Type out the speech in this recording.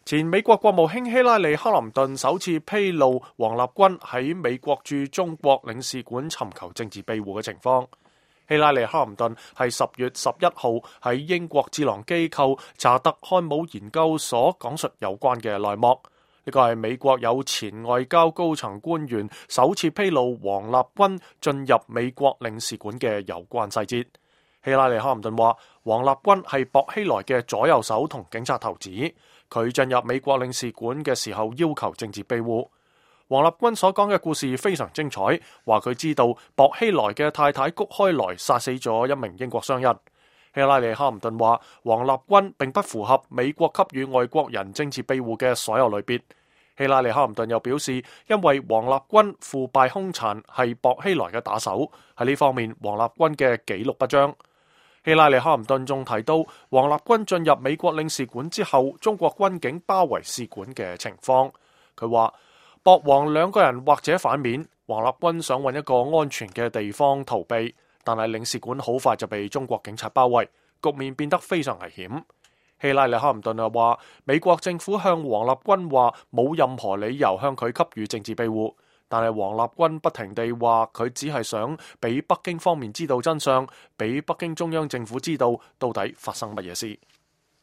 前美國國務卿希拉里·克林頓首次披露王立軍喺美國駐中國領事館尋求政治庇護嘅情況。希拉里·克林頓係10月11號喺英國智囊機構查特漢姆研究所講述有關嘅內幕。呢個係美國有前外交高層官員首次披露王立軍進入美國領事館嘅有關細節。希拉里·克林頓話，王立軍係薄熙來嘅左右手同警察頭子。佢進入美國領事館嘅時候要求政治庇護。王立軍所講嘅故事非常精彩，話佢知道薄熙來嘅太太谷開來殺死咗一名英國商人。希拉里·克林頓話，王立軍並不符合美國給予外國人政治庇護嘅所有類別。希拉里·克林頓又表示，因為王立軍腐敗兇殘，係薄熙來嘅打手，喺呢方面王立軍嘅紀錄不彰。希拉里·克林頓仲提到，王立軍進入美國領事館之後，中國軍警包圍使館嘅情況。佢話，薄王兩個人或者反面，王立軍想揾一個安全嘅地方逃避，但係領事館好快就被中國警察包圍，局面變得非常危險。希拉里·克林頓又話，美國政府向王立軍話冇任何理由向佢給予政治庇護。但係王立軍不停地話佢只係想俾北京方面知道真相，俾北京中央政府知道到底發生乜嘢事。